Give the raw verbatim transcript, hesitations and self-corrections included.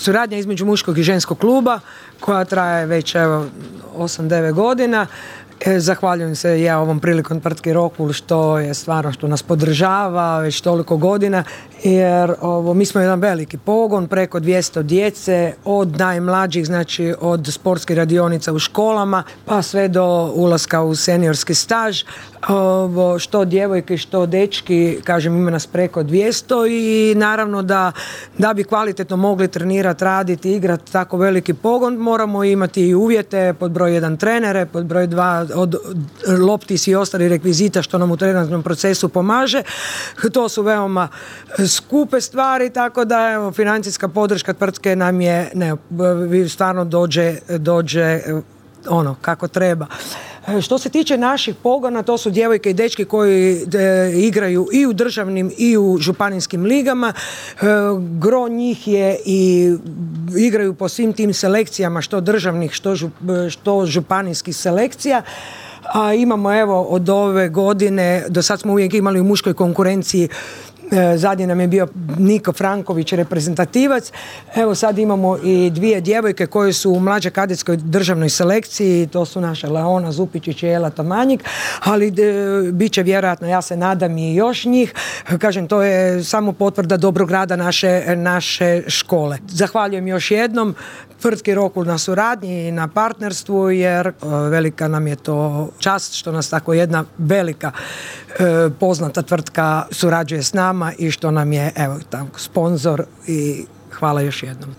suradnja između muškog i ženskog kluba koja traje već evo osam devet godina. Zahvaljujem se ja ovom prilikom tvrtki Rokul što je stvarno što nas podržava već toliko godina, jer ovo, mi smo jedan veliki pogon, preko dvjesto djece, od najmlađih, znači od sportskih radionica u školama pa sve do ulaska u seniorski staž. Ovo, što djevojke, što dečki, kažem, ima nas preko dvjesto i naravno da, da bi kvalitetno mogli trenirati, raditi, igrati tako veliki pogon, moramo imati i uvjete, pod broj jedan trenere, pod broj dva od lopti i ostalih rekvizita što nam u trenažnom procesu pomaže. To su veoma skupe stvari, tako da evo, financijska podrška tvrtke nam je, ne, stvarno dođe, dođe ono kako treba. Što se tiče naših pogona, to su djevojke i dečki koji de, igraju i u državnim i u županijskim ligama. E, gro njih je i igraju po svim tim selekcijama, što državnih, što, žup, što županijskih selekcija. A imamo evo od ove godine, do sad smo uvijek imali u muškoj konkurenciji, zadnji nam je bio Niko Franković, reprezentativac. Evo sad imamo i dvije djevojke koje su u mlađe kadetskoj državnoj selekciji, to su naša Leona Zupičić i Ela Tamanjik, ali de, bit će vjerojatno, ja se nadam, i još njih. Kažem, to je samo potvrda dobrog rada naše, naše škole. Zahvaljujem još jednom tvrtki Rokul na suradnji i na partnerstvu, jer velika nam je to čast što nas tako jedna velika poznata tvrtka surađuje s nama i što nam je evo tako sponzor i hvala još jednom.